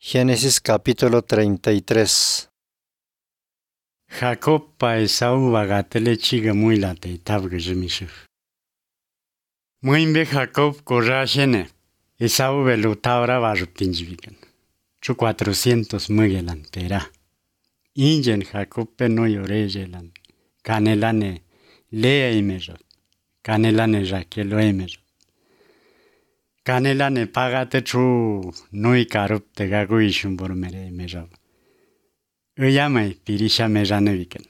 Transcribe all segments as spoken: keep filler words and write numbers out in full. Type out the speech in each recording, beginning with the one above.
Génesis capítulo treinta y tres. Jacob pa Esau bagatele chiga muy late tabga jemishu. Muimbe Jacob corrashene. Esau velu taura varuptinjivigan. Chu cuatrocientos mugelan pera. Ingen Jacob pe no yorejelan. Canelane lea imerot. Canelane Raquelo emerot. Canelane pagate chu nui karup te gagu ishumbur mere emerot. Uyamai pirisha mejaneviken.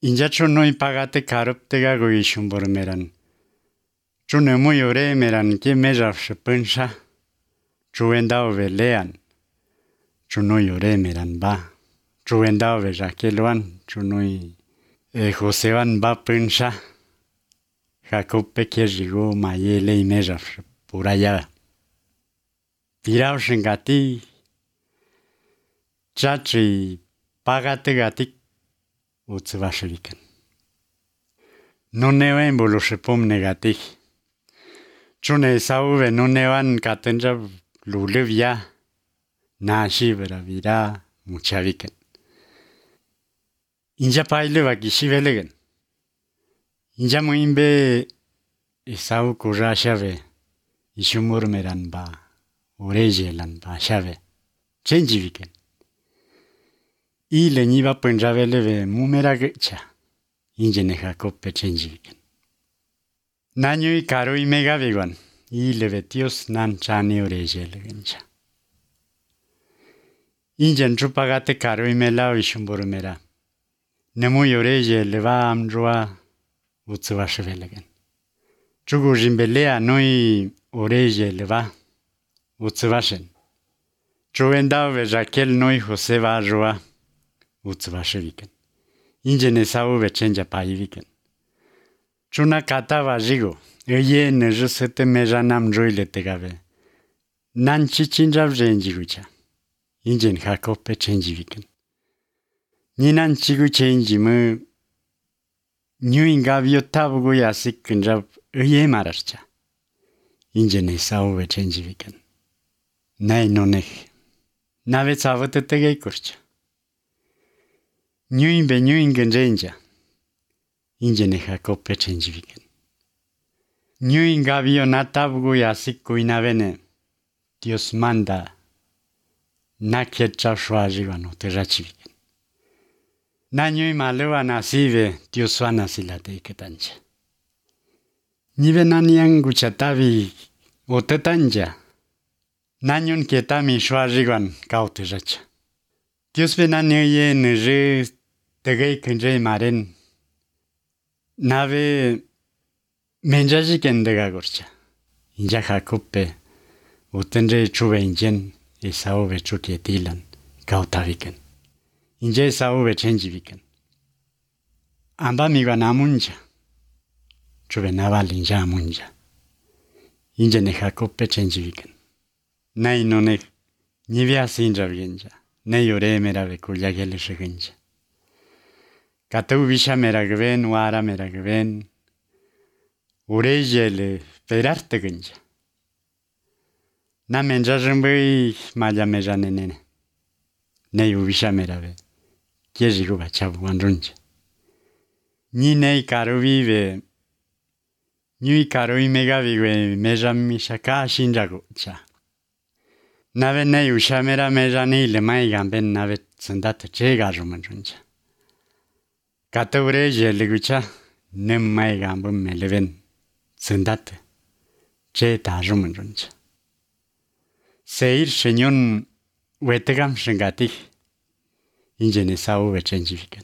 Inja chu nui pagate karup te gagu ishumbur meran. Chu nemu yore meran ke mejaf shpensha. Chu endao ve lean. Chu nui yore meran ba. Chu endao ve Raqueloan. Chu nui e Josevan ba pensha. Jacob pe ke rigo mayele i mejaf puraya. Pirao shingati. Chachi pagate gatik utsvashviken. No neven bolushepom negatik. Chune Esau ve no nevan katenja lulevia. Nashi vera vira muchaviken. Inja paile vakishiveligen. Inja muimbe Esau kurashave. Ishumur meran ba. Urejelan ba shave. Chenjiviken. Y le niva penjavele ve mumera gecha. Injene Jacob pe chenjiviken. Nanyo y caro y mega vegan. Y le vetios nan chani urejele gencha. Injen chupagate caro y mela ishumboru mera. Nemu yoreje leva amjua utsuvashvelegen. Chugu jimbelea noi oreje leva utsuvashen. Chuendao ve Raquel noi Joseva joa utsuvashviken. Injen Esau ve chenja paiviken. Chuna kata vajigo. Eye nejusete mejanam joile tegave. Nan chichinjav jenjigucha. Injen Jacob pe chenjiviken. Ninan chigu chenjimu. Nyuin gavio tabugu yasik kunjab eye mararcha. Injen Esau ve chenjiviken. Nay nonech. Nave savate tegei kurcha. Nyuin be nyuin genjenja. Injene Jacob pe chenjiviken. Nyuin gavio natabugu yasik kuinavene. Dios manda. Na ketcha shwajivano te rachiviken. Na nyuin malewa nasive Dios wana silate iketancha. Nive nanyang guchatavi otetanja. Nanyun ketami shwajivan kaute racha. Dios ve nanyoye neje tegei kenje maren. Nave menjajiken dega gorcha. Inja Jacob pe utenje chuve injen Esau ve chuketilan kautaviken. Inja Esau ve chenjiviken. Amba miga namunja. Chuve naval inja amunja. Inja ne Jacob pe chenjiviken. Nay nonek nivea sinja vienja. Ne yore mera ve kulyagele shigenja. Katau visha mera gven, wara mera gven. Urejele perarte genja. Na menja jambui maya meja nenene. Ne uvisha mera ve. Kiejigu bachabu andrunja. Ni nei karu vive. Ni karu imega vive meja mishaka shinjagu cha. Nave nei usha mera meja nei le mai gamben nave tsandata chega jumandrunja. Kata urejele gucha. Nem mai gambum meleven. Tsandata. Che ta jumandrunja. Seir shenyon wetegam shengatih. Injen Esau ve chenjiviken.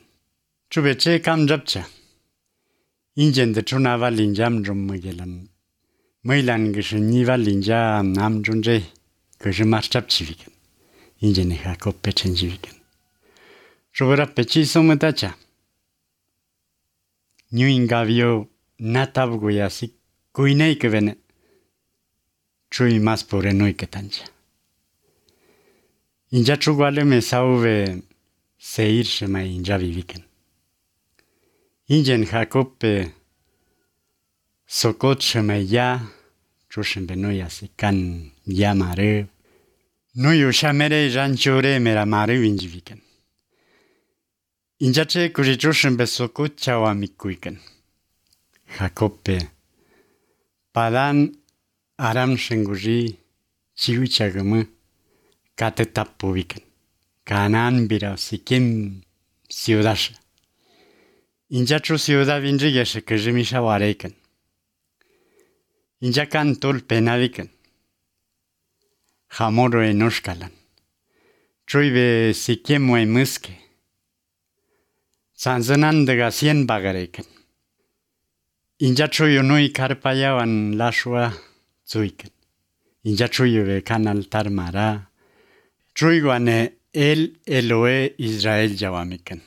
Chube che kam japcha. Injen de chunava linjam rummugelan. Mailan gishniva linja nam junje. Gishmar chapchiviken. Injen Jacob pe chenjiviken. Chubera pechi sometacha. Nyuin gavio natabugu yasik kuinei kevene. Chui mas pore noi ketancha. Inja chugwale me Esau ve Seir shemai inja viviken. Injen Jacob pe Sokot shemai ya chushen beno yasikan ya mare Nuyu shamere janchore mera maru injiviken. Injache kurichushin besoku chawamikuiken. Jacope. Padan aram shenguri chihuchagamu katetapuviken. Kanan bira sikim ciudasha. Injachu ciudad vinjigeshe kejimisha wareken. Injakan tul penaviken. Jamoro enoshkalan. Truive sikiemo e muske. Sanzanan de gasien bagareken. Injachuyo nui karpayawan lashua zuiken. Injachuyo ve kanal tarmara. Truiguane el Eloe Israel jawamiken.